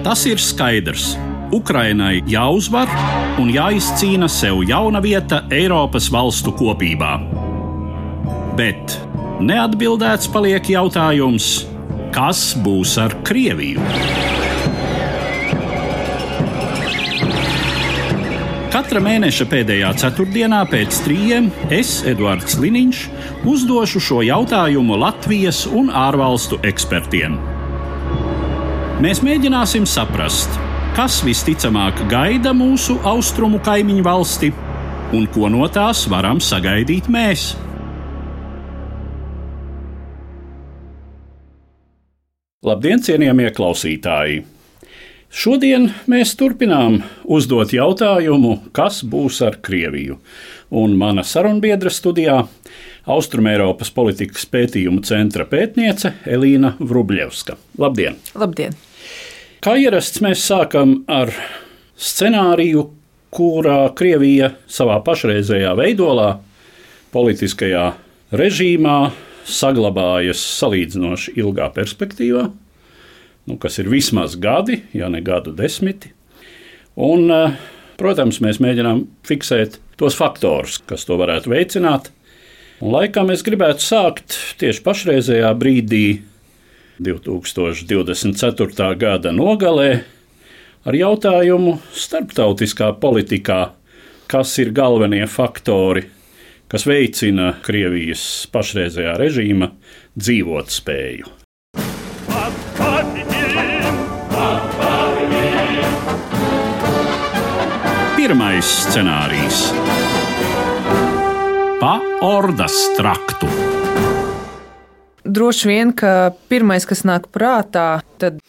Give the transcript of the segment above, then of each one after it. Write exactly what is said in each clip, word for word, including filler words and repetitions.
Tas ir skaidrs. Ukrainai jāuzvar un jāizcīna sev jauna vieta Eiropas valstu kopībā. Bet neatbildēts paliek jautājums, kas būs ar Krieviju? Katra mēneša pēdējā ceturtdienā pēc trījiem es, Eduards Liniņš, uzdošu šo jautājumu Latvijas un ārvalstu ekspertiem. Mēs mēģināsim saprast, kas visticamāk gaida mūsu austrumu kaimiņu valsti un ko no tās varam sagaidīt mēs. Labdien, cienījamie klausītāji! Šodien mēs turpinām uzdot jautājumu, kas būs ar Krieviju. Un mana sarunbiedra studijā Austrumeiropas politikas pētījumu centra pētniece Elīna Vrubļevska. Labdien! Labdien! Kā ierasts, mēs sākam ar scenāriju, kurā Krievija savā pašreizējā veidolā, politiskajā režīmā saglabājas salīdzinoši ilgā perspektīvā, nu, kas ir vismaz gadi, ja ne gadu desmiti. Un, protams, mēs mēģinām fiksēt tos faktorus, kas to varētu veicināt. Un laikam es gribētu sākt tieši pašreizējā brīdī, divi tūkstoši divdesmit ceturtā gada nogalē, ar jautājumu starptautiskā politikā, kas ir galvenie faktori, kas veicina Krievijas pašreizējā režīma dzīvotspēju. Pirmais scenārijs – pa Ordas traktu. Droši vien, ka pirmais, kas nāk prātā, tad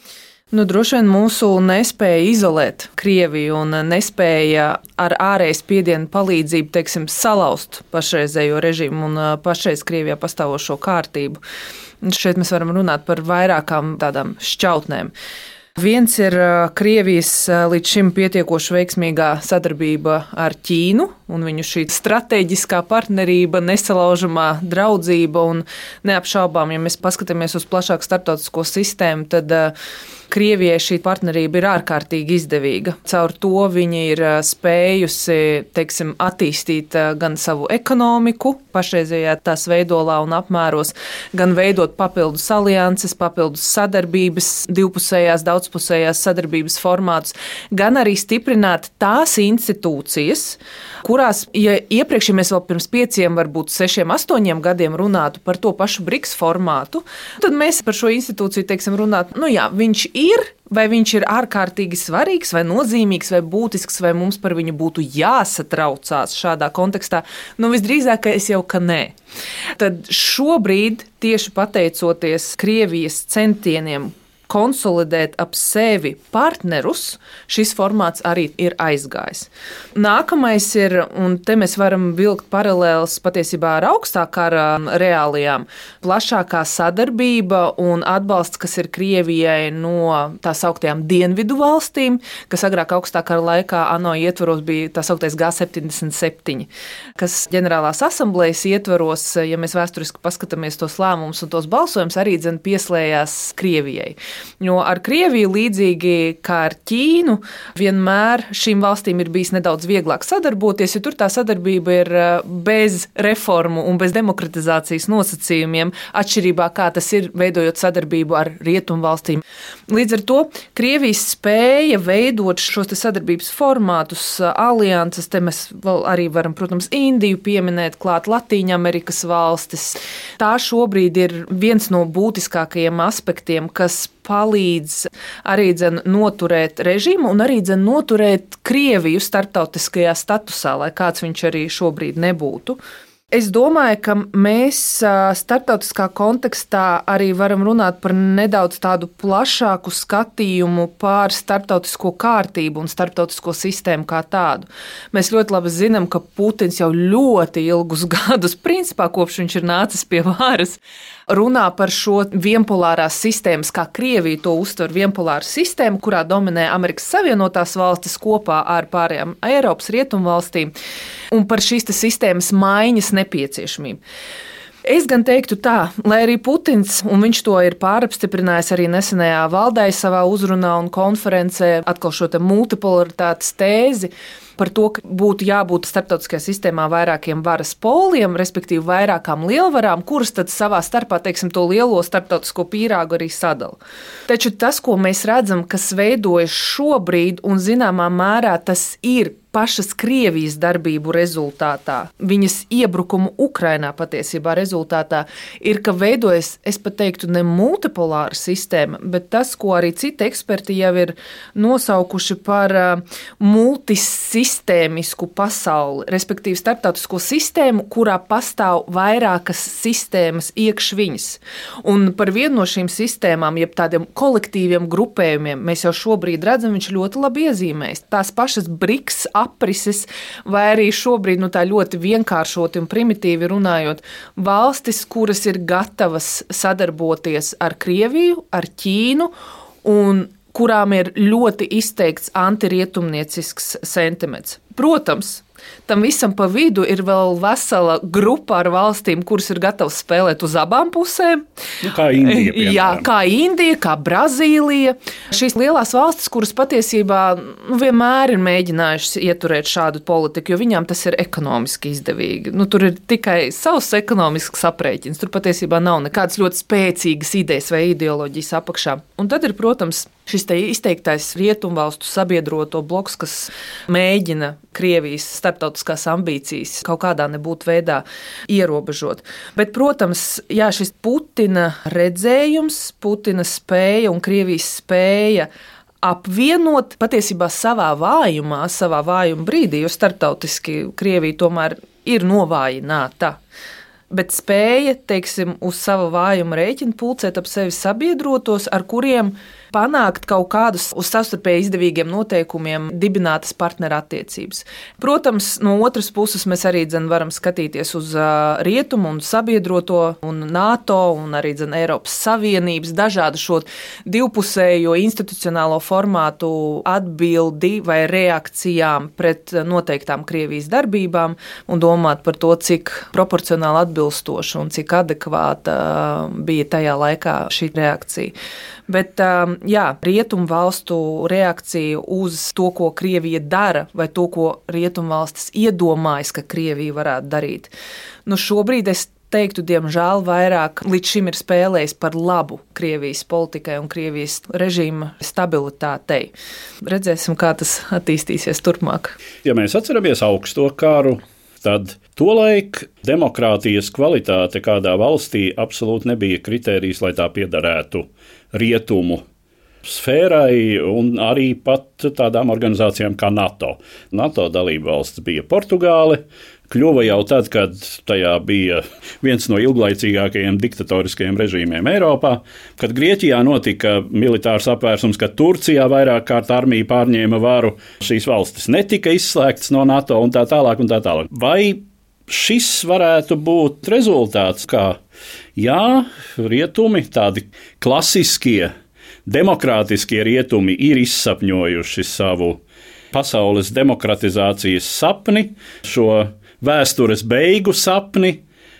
nu, droši vien mūsu nespēja izolēt Krieviju un nespēja ar ārējas spiedienu palīdzību, teiksim, salauzt pašreizējo režīmu un pašreiz Krievijā pastāvošo kārtību. Un šeit mēs varam runāt par vairākām tādām šķautnēm. Viens ir Krievijas līdz šim pietiekoši veiksmīgā sadarbība ar Ķīnu un viņu šī strateģiskā partnerība, nesalaužamā draudzība un neapšaubām, ja mēs paskatāmies uz plašāku starptautisko sistēmu, tad Krievijai šī partnerība ir ārkārtīgi izdevīga. Caur to viņa ir spējusi, teiksim, attīstīt gan savu ekonomiku pašreizējā tās veidolā un apmēros, gan veidot papildus alianses, papildus sadarbības, divpusējās, daudzpusējās sadarbības formātus, gan arī stiprināt tās institūcijas, kurās, ja iepriekš, ja mēs vēl pirms pieciem, varbūt sešiem, astoņiem gadiem runātu par to pašu BRICS formātu, tad mēs par šo institūciju, teiksim, runātu, nu jā, viņš ir, vai viņš ir ārkārtīgi svarīgs, vai nozīmīgs, vai būtisks, vai mums par viņu būtu jāsatraucās šādā kontekstā, nu visdrīzākais jau, ka nē. Tad šobrīd, tieši pateicoties Krievijas centieniem konsolidēt ap sevi partnerus, šis formāts arī ir aizgājis. Nākamais ir, un te mēs varam vilkt paralēles patiesībā ar augstā kara reālijām, plašākā sadarbība un atbalsts, kas ir Krievijai no tā sauktajām dienvidu valstīm, kas agrāk augstā kara laikā ANO ietvaros bija tā sauktais G septiņdesmit septiņi, kas ģenerālās asamblejas ietvaros, ja mēs vēsturiski paskatāmies tos lēmumus un tos balsojumus, arī dzen pieslējās Krievijai. Jo ar Krieviju līdzīgi kā ar Ķīnu vienmēr šīm valstīm ir bijis nedaudz vieglāk sadarboties, jo tur tā sadarbība ir bez reformu un bez demokratizācijas nosacījumiem, atšķirībā kā tas ir veidojot sadarbību ar rietumu valstīm. Līdz ar to Krievijas spēja veidot šos te sadarbības formātus, alianses, te mēs vēl arī varam, protams, Indiju pieminēt, klāt Latīņamerikas valstis. Tā šobrīd ir viens no būtiskākajiem aspektiem, kas palīdz arī dzen noturēt režīmu un arī dzen noturēt Krieviju starptautiskajā statusā, lai kāds viņš arī šobrīd nebūtu. Es domāju, ka mēs starptautiskā kontekstā arī varam runāt par nedaudz tādu plašāku skatījumu pār starptautisko kārtību un starptautisko sistēmu kā tādu. Mēs ļoti labi zinām, ka Putins jau ļoti ilgus gadus, principā kopš viņš ir nācis pie varas, runā par šo vienpolārās sistēmas, kā Krievija to uztver vienpolāru sistēmu, kurā dominē Amerikas Savienotās valstis kopā ar pārējām Eiropas rietumu valstīm, un par šīs sistēmas maiņas nepieciešamību. Es gan teiktu tā, lai arī Putins, un viņš to ir pārapstiprinājis arī nesenajā valdē savā uzrunā un konferencē, atkal šo te multipolaritātes tēzi, par to, ka būtu jābūt starptautiskajā sistēmā vairākiem varas poliem, respektīvi vairākām lielvarām, kuras tad savā starpā, teiksim, to lielo starptautisko pīrāgu arī sadala. Taču tas, ko mēs redzam, kas veidojas šobrīd, un zināmā mērā tas ir pašas Krievijas darbību rezultātā, viņas iebrukumu Ukrainā patiesībā rezultātā, ir, ka veidojas, es pat teiktu, ne multipolāra sistēma, bet tas, ko arī citi eksperti jau ir nosaukuši par multisistēmisku pasauli, respektīvi starptautisko sistēmu, kurā pastāv vairākas sistēmas iekš viņas. Un par vienu no šīm sistēmām, jeb tādiem kolektīviem grupējumiem, mēs jau šobrīd redzam, viņš ļoti labi iezīmēs. Tās pašas BRICS aprises, vai arī šobrīd nu, tā ļoti vienkāršoti un primitīvi runājot, valstis, kuras ir gatavas sadarboties ar Krieviju, ar Ķīnu un kurām ir ļoti izteikts antirietumniecisks sentiments. Protams, tam visam pa vidu ir vēl vesela grupa ar valstīm, kuras ir gatavas spēlēt uz abām pusēm. Nu, kā Indija, piemēram. Jā, kā Indija, kā Brazīlija. Šīs lielās valstis, kuras patiesībā nu, vienmēr ir mēģinājušas ieturēt šādu politiku, jo viņām tas ir ekonomiski izdevīgi. Nu, tur ir tikai savs ekonomisks aprēķins. Tur patiesībā nav nekādas ļoti spēcīgas idejas vai ideoloģijas apakšā. Un tad ir, protams, šis te izteiktais rietumvalstu sabiedroto bloks, kas mēģina Krievijas starptautiskās ambīcijas kaut kādā nebūtu veidā ierobežot. Bet, protams, jā, šis Putina redzējums, Putina spēja un Krievijas spēja apvienot patiesībā savā vājumā, savā vājuma brīdī, jo starptautiski Krievija tomēr ir novājināta. Bet spēja, teiksim, uz savu vājumu rēķinu pulcēt ap sevi sabiedrotos, ar kuriem panākt kaut kādus uz savstarpēji izdevīgiem noteikumiem dibinātas partnerattiecības. Protams, no otras puses mēs arī dzen, varam skatīties uz rietumu un sabiedroto un NATO un arī dzen, Eiropas Savienības dažādu šo divpusējo institucionālo formātu atbildi vai reakcijām pret noteiktām Krievijas darbībām un domāt par to, cik proporcionāli atbilstoši un cik adekvāta bija tajā laikā šī reakcija. Bet jā, rietumu valstu reakcija uz to, ko Krievija dara, vai to, ko rietumu valstis iedomājas, ka Krievija varētu darīt. Nu, šobrīd es teiktu, diemžēl, vairāk līdz šim ir spēlējis par labu Krievijas politikai un Krievijas režīma stabilitātei. Redzēsim, kā tas attīstīsies turpmāk. Ja mēs atceramies augsto karu, tad tolaik demokrātijas kvalitāte kādā valstī absolūti nebija kritērijs, lai tā piederētu rietumu sfērai un arī pat tādām organizācijām kā NATO. NATO dalība valsts bija Portugāle, kļuva jau tad, kad tajā bija viens no ilglaicīgākajiem diktatoriskajiem režīmiem Eiropā, kad Grieķijā notika militārs apvērsums, kad Turcijā vairāk kārt armija pārņēma varu, šīs valstis netika izslēgtas no NATO un tā tālāk un tā tālāk. Vai šis varētu būt rezultāts, kā jā, rietumi, tādi klasiskie, demokrātiskie rietumi ir izsapņojuši savu pasaules demokratizācijas sapni, šo vēstures beigu sapni,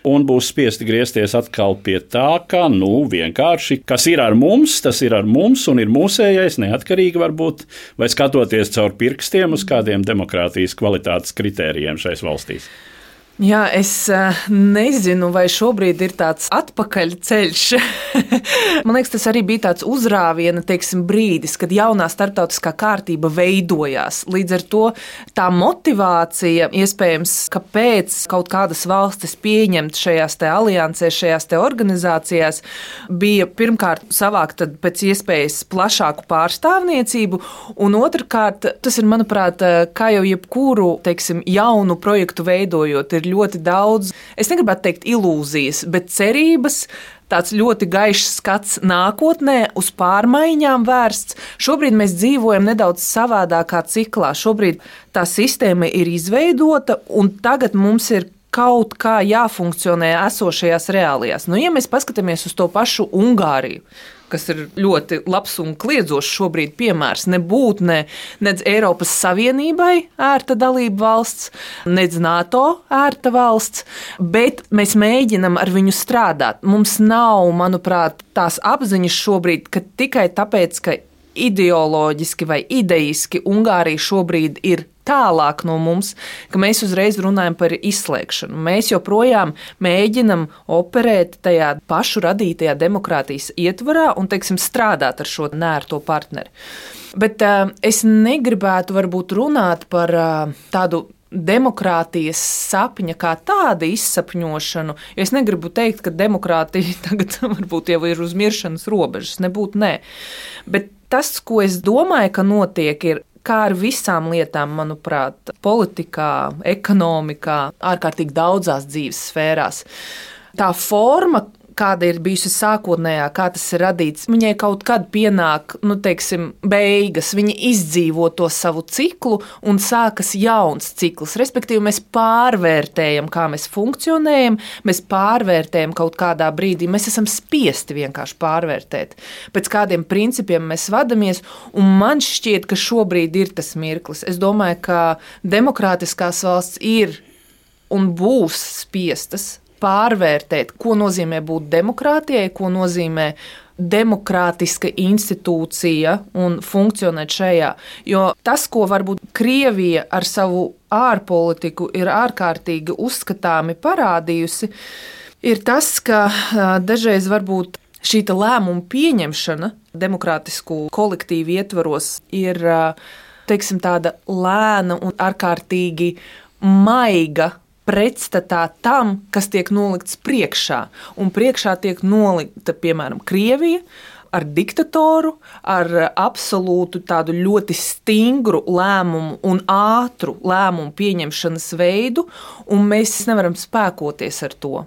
un būs spiesti griezties atkal pie tā, ka, nu, vienkārši, kas ir ar mums, tas ir ar mums un ir mūsējais, neatkarīgi varbūt, vai skatoties caur pirkstiem uz kādiem demokrātijas kvalitātes kritērijiem šais valstīs. Jā, es nezinu, vai šobrīd ir tāds atpakaļceļš. Man liekas, tas arī bija tāds uzrāviena, teiksim, brīdis, kad jaunā starptautiskā kārtība veidojās. Līdz ar to tā motivācija, iespējams, kāpēc kaut kādas valstis pieņemt šajās te aliansēs, šajās te organizācijās, bija pirmkārt savākt pēc iespējas plašāku pārstāvniecību, un otrkārt, tas ir, manuprāt, kā jau jebkuru, teiksim, jaunu projektu veidojot, ir ļoti daudz, es negribētu teikt ilūzijas, bet cerības, tāds ļoti gaišs skats nākotnē, uz pārmaiņām vērsts. Šobrīd mēs dzīvojam nedaudz savādākā ciklā. Šobrīd tā sistēma ir izveidota, un tagad mums ir kaut kā jāfunkcionē esošajās reālijās. Nu, ja mēs paskatāmies uz to pašu Ungāriju, kas ir ļoti labs un kliedzošs šobrīd piemērs, nebūt ne, nedz Eiropas Savienībai ērta dalība valsts, nedz NATO ērta valsts, bet mēs mēģinam ar viņu strādāt. Mums nav, manuprāt, tās apziņas šobrīd, ka tikai tāpēc, ka ideoloģiski vai ideiski Ungārija šobrīd ir tālāk no mums, ka mēs uzreiz runājam par izslēgšanu. Mēs joprojām mēģinam operēt tajā pašu radītajā demokrātijas ietvarā un, teiksim, strādāt ar šo nērto partneri. Bet uh, es negribētu varbūt runāt par uh, tādu demokrātijas sapņa kā tāda izsapņošanu, jo es negribu teikt, ka demokrātija tagad varbūt jau ir uz miršanas robežas, nebūtu nē. Bet tas, ko es domāju, ka notiek, ir kā ar visām lietām, manuprāt, politikā, ekonomikā, ārkārtīgi daudzās dzīves sfērās. Tā forma, kāda ir bijusi sākotnējā, kā tas ir radīts, viņai kaut kad pienāk, nu, teiksim, beigas, viņa izdzīvo to savu ciklu un sākas jauns cikls. Respektīvi, mēs pārvērtējam, kā mēs funkcionējam, mēs pārvērtējam kaut kādā brīdī, mēs esam spiesti vienkārši pārvērtēt. Pēc kādiem principiem mēs vadamies, un man šķiet, ka šobrīd ir tas mirklis. Es domāju, ka demokrātiskās valsts ir un būs spiestas pārvērtēt, ko nozīmē būt demokrātijai, ko nozīmē demokrātiska institūcija un funkcionēt šajā. Jo tas, ko varbūt Krievija ar savu ārpolitiku ir ārkārtīgi uzskatāmi parādījusi, ir tas, ka dažreiz varbūt šī lēmuma pieņemšana demokrātisku kolektīvu ietvaros ir, teiksim, tāda lēna un ārkārtīgi maiga pretstatā tam, kas tiek nolikts priekšā. Un priekšā tiek nolikta, piemēram, Krievija ar diktatoru, ar absolūtu tādu ļoti stingru lēmumu un ātru lēmumu pieņemšanas veidu, un mēs nevaram spēkoties ar to.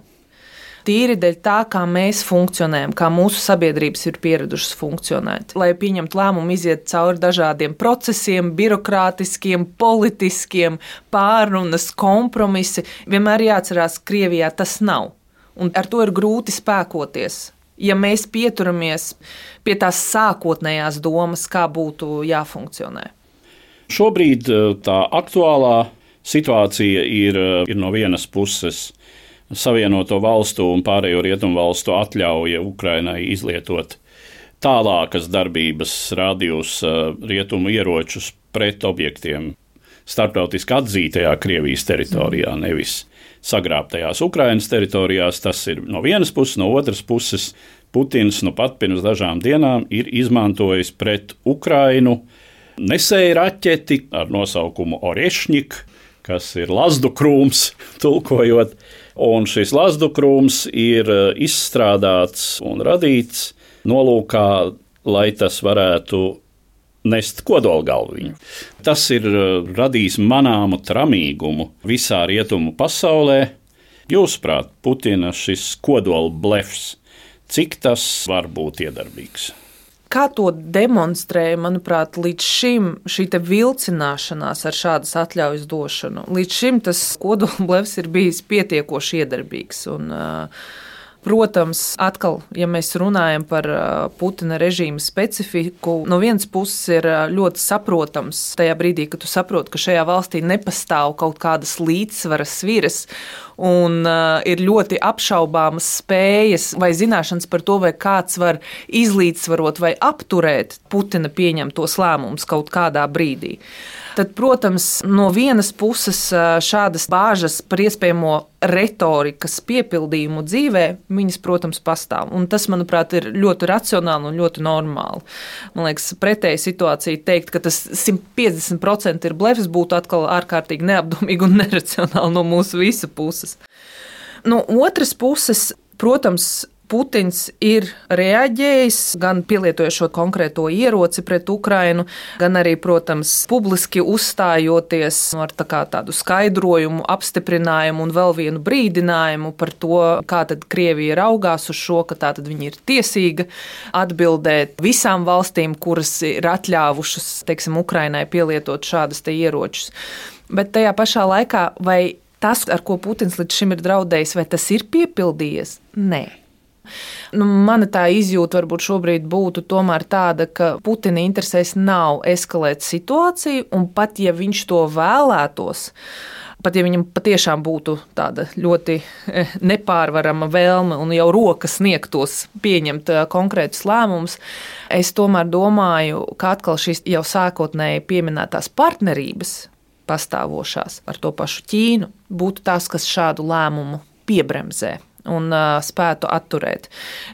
Tīri dēļ tā, kā mēs funkcionējam, kā mūsu sabiedrības ir pieradušas funkcionēt. Lai pieņemtu lēmumu, iziet cauri dažādiem procesiem, birokrātiskiem, politiskiem, pārunas, kompromisi. Vienmēr jāatcerās, ka Krievijā tas nav. Un ar to ir grūti spēkoties. Ja mēs pieturamies pie tās sākotnējās domas, kā būtu jāfunkcionē. Šobrīd tā aktuālā situācija ir, ir no vienas puses Savienoto valstu un pārējo rietumu valstu atļauja Ukrainai izlietot tālākas darbības rādījus rietumu ieročus pret objektiem starptautiski atzītajā Krievijas teritorijā, nevis sagrābtajās Ukrainas teritorijās. Tas ir no vienas puses, no otras puses Putins nu pat pirms dažām dienām ir izmantojis pret Ukrainu nesēju raķeti ar nosaukumu Orešņik, kas ir lazdu krūms, tulkojot. Un šis lazdu krūms ir izstrādāts un radīts nolūkā, lai tas varētu nest kodolgalviņu. Tas ir radījis manāmu tramīgumu visā rietumu pasaulē. Jūsuprāt, Putina šis kodola blefs, cik tas var būt iedarbīgs? Kā to demonstrēja, manuprāt, līdz šim šī te vilcināšanās ar šādas atļaujas došanu? Līdz šim tas kodolblefs ir bijis pietiekoši iedarbīgs. Un, protams, atkal, ja mēs runājam par Putina režīma specifiku, no vienas puses ir ļoti saprotams tajā brīdī, kad tu saproti, ka šajā valstī nepastāv kaut kādas līdzsvaras sviras un uh, ir ļoti apšaubāmas spējas vai zināšanas par to, vai kāds var izlīdzsvarot vai apturēt Putina pieņemtos lēmumus kaut kādā brīdī. Tad, protams, no vienas puses šādas bāžas par iespējamo retorikas piepildījumu dzīvē, viņas, protams, pastāv. Un tas, manuprāt, ir ļoti racionāli un ļoti normāli. Man liekas, pretēji situācija teikt, ka tas simt piecdesmit procenti ir blefs, būtu atkal ārkārtīgi neapdomīgi un neracionāli no mūsu visu puses. No otras puses, protams, Putins ir reaģējis, gan pielietojot šo konkrēto ieroci pret Ukrainu, gan arī, protams, publiski uzstājoties ar tā kā tādu skaidrojumu, apstiprinājumu un vēl vienu brīdinājumu par to, kā tad Krievija raugās uz šo, ka tā tad viņi ir tiesīga atbildēt visām valstīm, kuras ir atļāvušas, teiksim, Ukrainai pielietot šādas te ieročus. Bet tajā pašā laikā, vai tas, ar ko Putins līdz šim ir draudējis, vai tas ir piepildījies? Nē. Nu, mana tā izjūta varbūt šobrīd būtu tomēr tāda, ka Putina interesēs nav eskalēt situāciju, un pat ja viņš to vēlētos, pat ja viņam patiešām būtu tāda ļoti nepārvarama vēlme un jau roka sniegtos pieņemt konkrētus lēmumus, es tomēr domāju, ka atkal šīs jau sākotnēji pieminētās partnerības pastāvošās ar to pašu Ķīnu būtu tās, kas šādu lēmumu piebremzē un uh, spētu atturēt.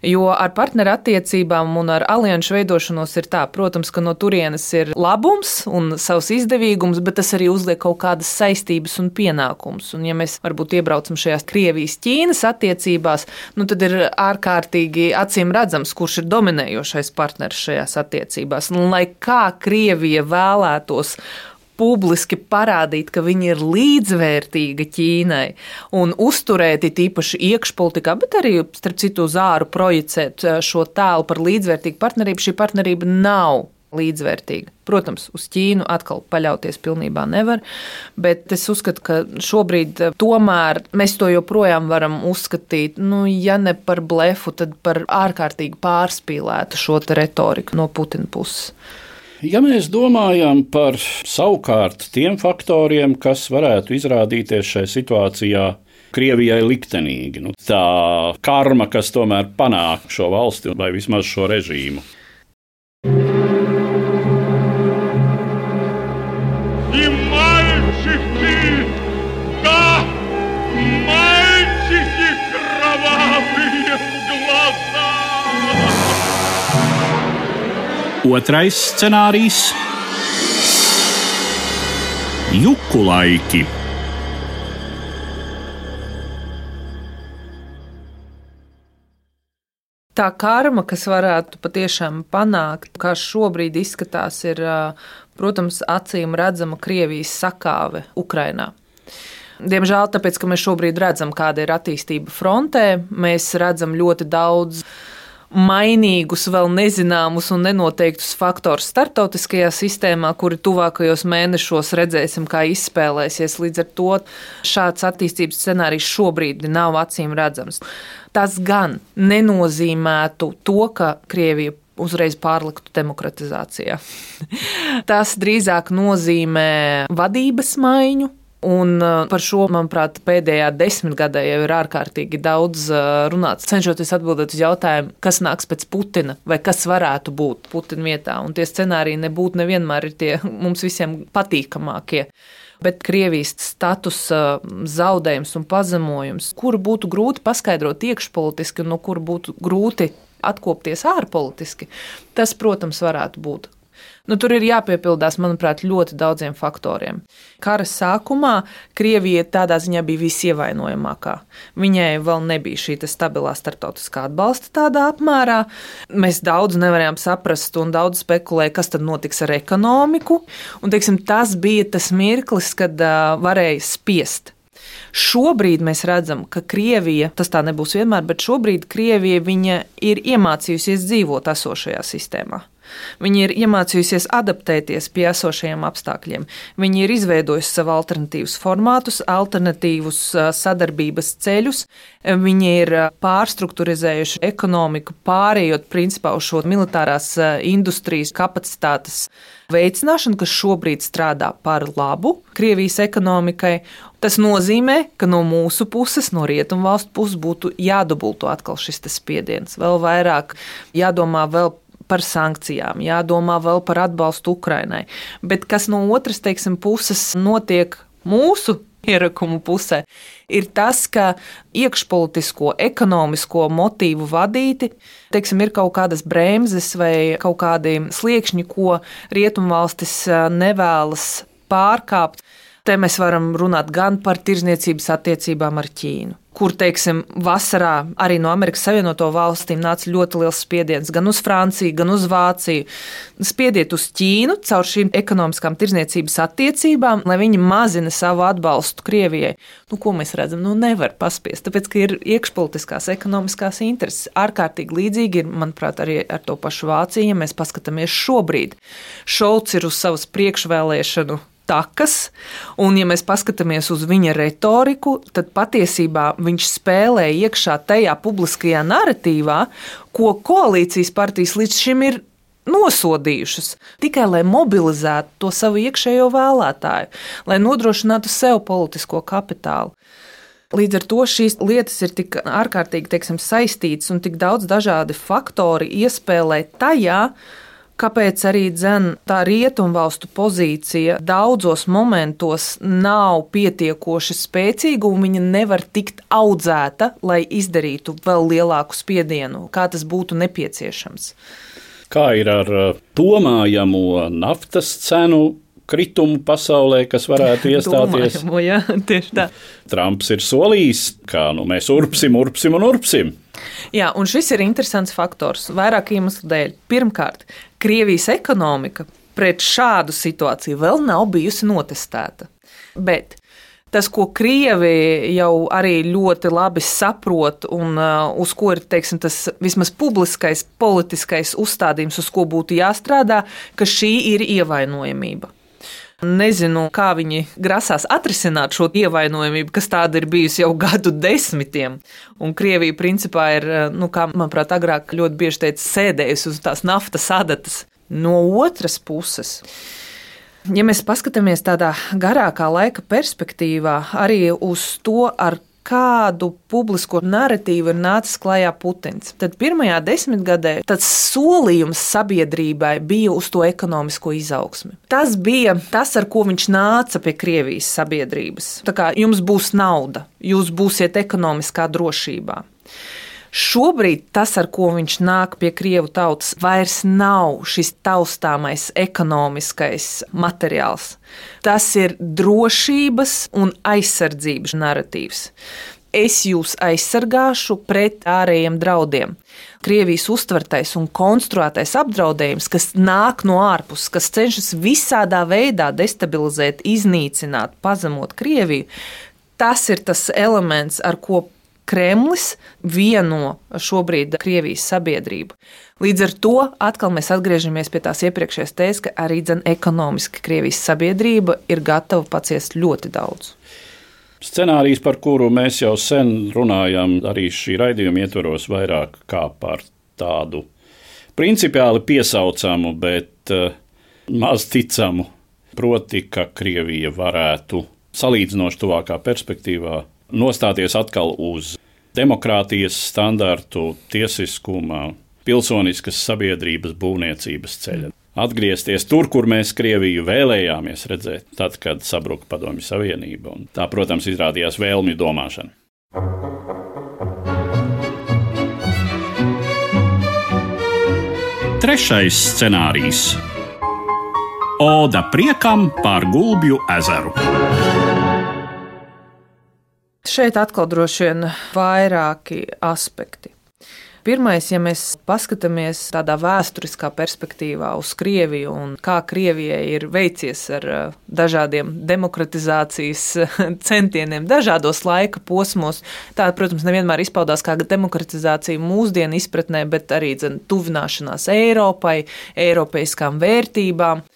Jo ar partneru attiecībām un ar alianšu veidošanos ir tā, protams, ka no turienes ir labums un savs izdevīgums, bet tas arī uzliek kaut kādas saistības un pienākumus. Un ja mēs varbūt iebraucam šajās Krievijas-Ķīnas attiecībās, nu tad ir ārkārtīgi acīm redzams, kurš ir dominējošais partneris šajās attiecībās. Un lai kā Krievija vēlētos publiski parādīt, ka viņi ir līdzvērtīga Ķīnai un uzturēt it īpaši iekšpolitikā, bet arī, starp citu, uz āru projicēt šo tēlu par līdzvērtīgu partnerību, šī partnerība nav līdzvērtīga. Protams, uz Ķīnu atkal paļauties pilnībā nevar, bet es uzskatu, ka šobrīd tomēr mēs to joprojām varam uzskatīt, nu, ja ne par blefu, tad par ārkārtīgi pārspīlētu šo te retoriku no Putina puses. Ja mēs domājam par savukārt tiem faktoriem, kas varētu izrādīties šai situācijā Krievijai liktenīgi, nu, tā karma, kas tomēr panāk šo valsti vai vismaz šo režīmu. Otrais scenārijs – juku laiki. Tā karma, kas varētu patiešām panākt, kā šobrīd izskatās, ir, protams, acīm redzama Krievijas sakāve Ukrainā. Diemžēl, tāpēc, ka mēs šobrīd redzam, kāda ir attīstība frontē, mēs redzam ļoti daudz mainīgus, vēl nezināmus un nenoteiktus faktorus starptautiskajā sistēmā, kuri tuvākajos mēnešos redzēsim, kā izspēlēsies. Līdz ar to šāds attīstības scenārijs šobrīd nav acīm redzams. Tas gan nenozīmētu to, ka Krievija uzreiz pārliktu demokratizācijā. Tas drīzāk nozīmē vadības maiņu. Un par šo, manuprāt, pēdējā desmitgadē jau ir ārkārtīgi daudz runāts, cenšoties atbildēt uz jautājumu, kas nāks pēc Putina vai kas varētu būt Putina vietā. Un tie scenāriji nebūtu nevienmēr ir tie mums visiem patīkamākie. Bet Krievijas statusa zaudējums un pazemojums, kuru būtu grūti paskaidrot iekšpolitiski un no kura būtu grūti atkopties ārpolitiski, tas, protams, varētu būt. Nu, tur ir jāpiepildās, manuprāt, ļoti daudziem faktoriem. Kara sākumā Krievija tādā ziņā bija visievainojamākā. Viņai vēl nebija šī stabilā starptautiskā atbalsta tādā apmērā. Mēs daudz nevarējām saprast un daudz spekulēja, kas tad notiks ar ekonomiku. Un, teiksim, tas bija tas mirklis, kad uh, varēja spiest. Šobrīd mēs redzam, ka Krievija, tas tā nebūs vienmēr, bet šobrīd Krievija viņa ir iemācījusies dzīvot esošajā sistēmā. Viņi ir iemācījusies adaptēties pie esošajiem apstākļiem. Viņi ir izveidojuši savu alternatīvus formātus, alternatīvus sadarbības ceļus. Viņi ir pārstrukturizējuši ekonomiku, pārējot principā uz šo militārās industrijas kapacitātes veicināšanu, kas šobrīd strādā par labu Krievijas ekonomikai. Tas nozīmē, ka no mūsu puses, no rietumvalstu puses būtu jādubulto atkal šis spiediens. Vēl vairāk jādomā vēl par sankcijām, jādomā vēl par atbalstu Ukrainai. Bet kas no otras, teiksim, puses notiek mūsu ierakumu pusē, ir tas, ka iekšpolitisko, ekonomisko motīvu vadīti, teiksim, ir kaut kādas bremzes vai kaut kādi sliekšņi, ko rietumvalstis nevēlas pārkāpt. Te mēs varam runāt gan par tirdzniecības attiecībām ar Ķīnu, kur, teiksim, vasarā arī no Amerikas Savienoto valstīm nāca ļoti liels spiediens gan uz Franciju, gan uz Vāciju. Spiediet uz Ķīnu caur šīm ekonomiskām tirdzniecības attiecībām, lai viņi mazina savu atbalstu Krievijai. Nu, ko mēs redzam? Nu, nevar paspiest, tāpēc, ka ir iekšpolitiskās ekonomiskās intereses. Ārkārtīgi līdzīgi ir, manuprāt, arī ar to pašu Vāciju, ja mēs paskatāmies šobrīd. Šolts ir uz savas priekšvēlēšanu takas, un ja mēs paskatāmies uz viņa retoriku, tad patiesībā viņš spēlē iekšā tajā publiskajā naratīvā, ko koalīcijas partijas līdz šim ir nosodījušas, tikai lai mobilizētu to savu iekšējo vēlētāju, lai nodrošinātu sev politisko kapitālu. Līdz ar to šīs lietas ir tik ārkārtīgi, teiksim, saistītas un tik daudz dažādi faktori iespēlē tajā, kāpēc arī dzen tā rietumvalstu pozīcija daudzos momentos nav pietiekoši spēcīga un viņa nevar tikt audzēta, lai izdarītu vēl lielāku spiedienu, kā tas būtu nepieciešams. Kā ir ar domājamo naftas cenu kritumu pasaulē, kas varētu iestāties? Domājamo, jā, tieši tā. Trumps ir solījis, kā nu mēs urpsim, urpsim un urpsim. Jā, un šis ir interesants faktors vairāk iemeslu dēļ. Pirmkārt, Krievijas ekonomika pret šādu situāciju vēl nav bijusi notestēta. Bet tas, ko Krievi jau arī ļoti labi saprot un uh, uz ko ir, teiksim, tas vismaz publiskais politiskais uzstādījums, uz ko būtu jāstrādā, ka šī ir ievainojamība. Nezinu, kā viņi grasās atrisināt šo ievainojamību, kas tāda ir bijusi jau gadu desmitiem. Un Krievija principā ir, nu, kā manuprāt, agrāk ļoti bieži teica, sēdējusi uz tās naftas adatas. No otras puses, ja mēs paskatāmies tādā garākā laika perspektīvā arī uz to, ar kādu publisko narratīvu ir nācis klajā Putins, tad pirmajā desmitgadē tāds solījums sabiedrībai bija uz to ekonomisko izaugsmi. Tas bija tas, ar ko viņš nāca pie Krievijas sabiedrības. Tā kā jums būs nauda, jūs būsiet ekonomiskā drošībā. Šobrīd tas, ar ko viņš nāk pie Krievu tautas, vairs nav šis taustāmais ekonomiskais materiāls. Tas ir drošības un aizsardzības narratīvs. Es jūs aizsargāšu pret ārējiem draudiem. Krievijas uztvertais un konstruētais apdraudējums, kas nāk no ārpuses, kas cenšas visādā veidā destabilizēt, iznīcināt, pazemot Krieviju, tas ir tas elements, ar ko Kremlis vieno šobrīd Krievijas sabiedrību. Līdz ar to atkal mēs atgriežamies pie tās iepriekšējās tēzes, ka arī dzen ekonomiski Krievijas sabiedrība ir gatava paciest ļoti daudz. Scenārijs, par kuru mēs jau sen runājam, arī šī raidījuma ietvaros vairāk kā par tādu principiāli piesaucamu, bet uh, maz ticamu, proti, ka Krievija varētu salīdzinoši tuvākā perspektīvā nostāties atkal uz demokrātijas standartu, tiesiskuma, pilsoniskas sabiedrības būvniecības ceļa. Atgriezties tur, kur mēs Krieviju vēlējāmies redzēt, tad, kad sabruka Padomju Savienība. Un tā, protams, izrādījās vēlmju domāšana. Trešais scenārijs – Oda priekam par Gulbju ezeru. Šeit atkal droši vien vairāki aspekti. Pirmais, ja mēs paskatāmies tādā vēsturiskā perspektīvā uz Krieviju un kā Krievijai ir veicies ar dažādiem demokratizācijas centieniem dažādos laika posmos, tā, protams, nevienmēr izpaudās kā demokratizācija mūsdienu izpratnē, bet arī dzen, tuvināšanās Eiropai, eiropeiskām vērtībām.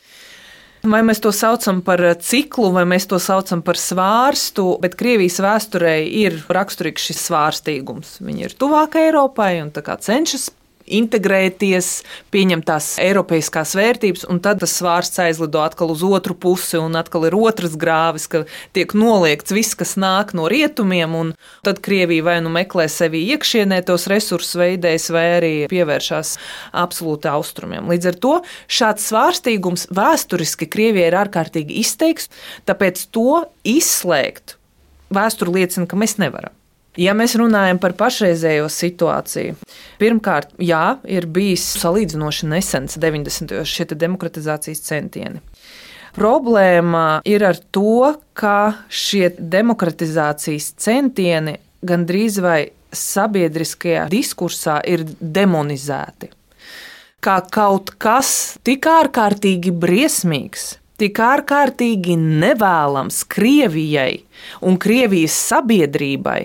Vai mēs to saucam par ciklu, vai mēs to saucam par svārstu, bet Krievijas vēsturē ir raksturīgs šis svārstīgums. Viņi ir tuvāk Eiropai un tā kā cenšas integrēties, pieņemt tās eiropeiskās vērtības, un tad tas svārsts aizlido atkal uz otru pusi, un atkal ir otras grāvis, ka tiek noliegts viss, kas nāk no rietumiem, un tad Krievija vai nu meklē sevi iekšienē tos resursus veidēs, vai arī pievēršās absolūti austrumiem. Līdz ar to šāds svārstīgums vēsturiski Krievijai ir ārkārtīgi izteikts, tāpēc to izslēgt vēsture liecina, ka mēs nevaram. Ja mēs runājam par pašreizējo situāciju, pirmkārt, jā, ir bijis salīdzinoši nesens deviņdesmitajos šie demokratizācijas centieni. Problēma ir ar to, ka šie demokratizācijas centieni gandrīz vai sabiedriskajā diskursā ir demonizēti. Kā kaut kas tik ārkārtīgi briesmīgs, tik ārkārtīgi nevēlams Krievijai un Krievijas sabiedrībai.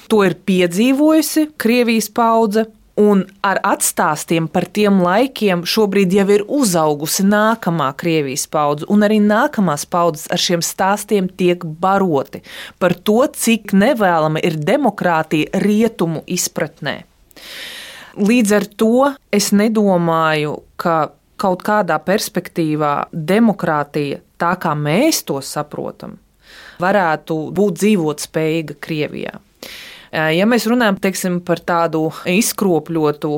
To ir piedzīvojusi Krievijas paudze, Un ar atstāstiem par tiem laikiem šobrīd jau ir uzaugusi nākamā Krievijas paudze, un arī nākamās paudzes ar šiem stāstiem tiek baroti par to, cik nevēlama ir demokrātija rietumu izpratnē. Līdz ar to es nedomāju, ka kaut kādā perspektīvā demokrātija, tā kā mēs to saprotam, varētu būt dzīvotspējīga Krievijā. Ja mēs runājam teiksim, par tādu izkropļotu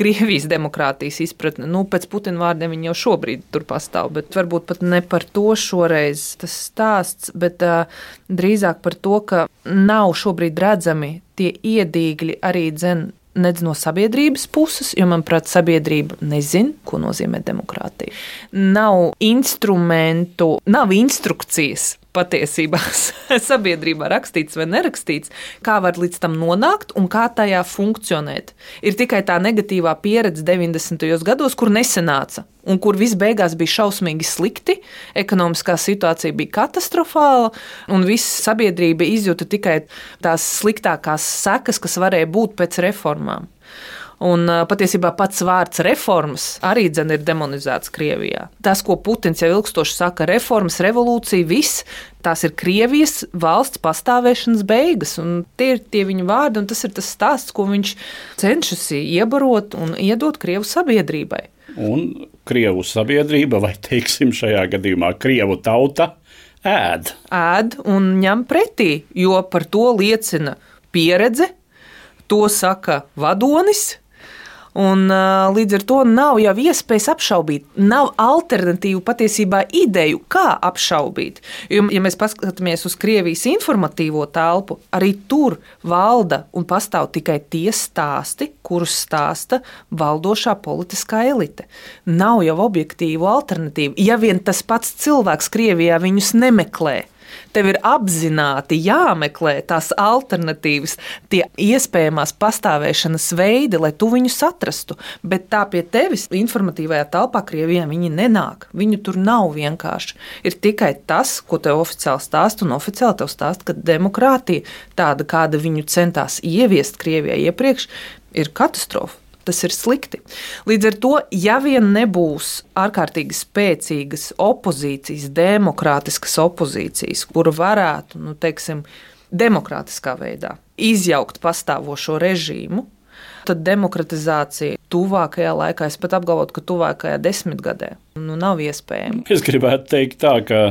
Krievijas demokrātijas izpratni, nu, pēc Putina vārdiem viņi jau šobrīd tur pastāv, bet varbūt pat ne par to šoreiz tas stāsts, bet uh, drīzāk par to, ka nav šobrīd redzami tie iedīgļi arī dzen nedz no sabiedrības puses, jo, manuprāt, sabiedrība nezin, ko nozīmē demokrātija. Nav instrumentu, nav instrukcijas patiesībā sabiedrībā rakstīts vai nerakstīts, kā var līdz tam nonākt un kā tajā funkcionēt. Ir tikai tā negatīvā pieredze deviņdesmitajos gados, kur nesanāca un kur viss beigās bija šausmīgi slikti, ekonomiskā situācija bija katastrofāla un viss sabiedrība izjuta tikai tās sliktākās sekas, kas varēja būt pēc reformām. Un patiesībā pats vārds reformas arī dzen ir demonizēts Krievijā. Tas, ko Putins jau ilgstoši saka, reformas, revolūcija, viss, tās ir Krievijas valsts pastāvēšanas beigas. Un tie ir tie viņa vārdi, un tas ir tas stāsts, ko viņš cenšas iebarot un iedot Krievu sabiedrībai. Un Krievu sabiedrība, vai teiksim šajā gadījumā Krievu tauta, ēd. Ēd un ņem pretī, jo par to liecina pieredze, to saka vadonis. Un, līdz ar to nav jau iespējas apšaubīt. Nav alternatīvu patiesībā ideju, kā apšaubīt. Jo, ja mēs paskatāmies uz Krievijas informatīvo telpu, arī tur valda un pastāv tikai tie stāsti, kurus stāsta valdošā politiskā elite. Nav jau objektīvu alternatīvu. Ja vien tas pats cilvēks Krievijā viņus nemeklē, tev ir apzināti jāmeklē tās alternatīvas, tie iespējamās pastāvēšanas veidi, lai tu viņus atrastu. Bet tā pie tevis informatīvajā telpā Krievijā viņi nenāk. Viņu tur nav vienkārši. Ir tikai tas, ko tev oficiāli stāst, un oficiāli tev stāst, ka demokrātija, tāda, kāda viņu centās ieviest Krievijā iepriekš, ir katastrofa. Tas ir slikti. Līdz ar to, ja vien nebūs ārkārtīgi spēcīgas opozīcijas, demokrātiskas opozīcijas, kura varētu, nu, teiksim, demokrātiskā veidā izjaukt pastāvošo režīmu, tad demokratizācija tuvākajā laikā, es pat apgalvotu, ka tuvākajā desmitgadē, nu, nav iespējama. Es gribētu teikt tā, ka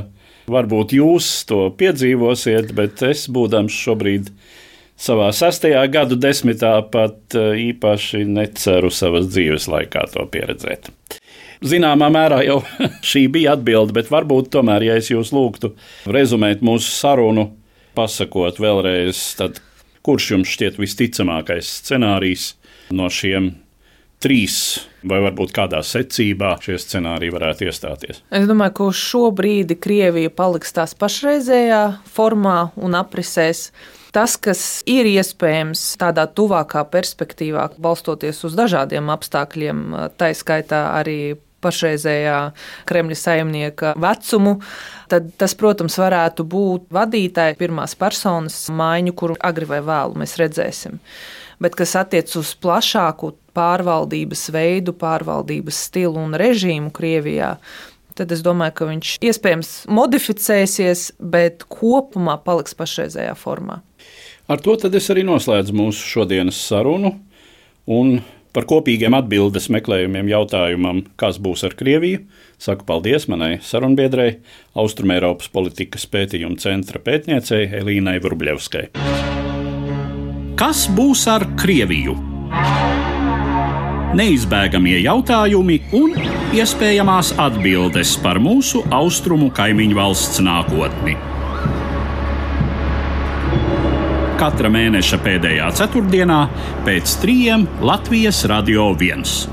varbūt jūs to piedzīvosiet, bet es būdams šobrīd savā sastajā gadu desmitā pat īpaši neceru savas dzīves laikā to pieredzēt. Zināmā mērā jau šī bija atbilde, bet varbūt tomēr, ja es jūs lūgtu rezumēt mūsu sarunu, pasakot vēlreiz, tad kurš jums šķiet visticamākais scenārijs no šiem trīs, vai varbūt kādā secībā šie scenāriji varētu iestāties? Es domāju, ka uz šo brīdi Krievija paliks tās pašreizējā formā un aprisēs. Tas, kas ir iespējams tādā tuvākā perspektīvā, balstoties uz dažādiem apstākļiem, tā skaitā arī pašreizējā Kremļa saimnieka vecumu, tad tas, protams, varētu būt vadītāja pirmās personas maiņu, kuru agri vai vēlu mēs redzēsim. Bet kas attiec uz plašāku pārvaldības veidu, pārvaldības stilu un režīmu Krievijā, tad es domāju, ka viņš iespējams modificēsies, bet kopumā paliks pašreizējā formā. Ar to tad es arī noslēdzu mūsu šodienas sarunu un par kopīgiem atbildes meklējumiem jautājumam, kas būs ar Krieviju, saku paldies manai sarunbiedrei, Austrumēropas politikas pētījuma centra pētniecei Elīnai Vrublevskai. Kas būs ar Krieviju? Neizbēgamie jautājumi un iespējamās atbildes par mūsu austrumu kaimiņu valsts nākotni. Katra mēneša pēdējā ceturtdienā pēc trījiem Latvijas Radio viens.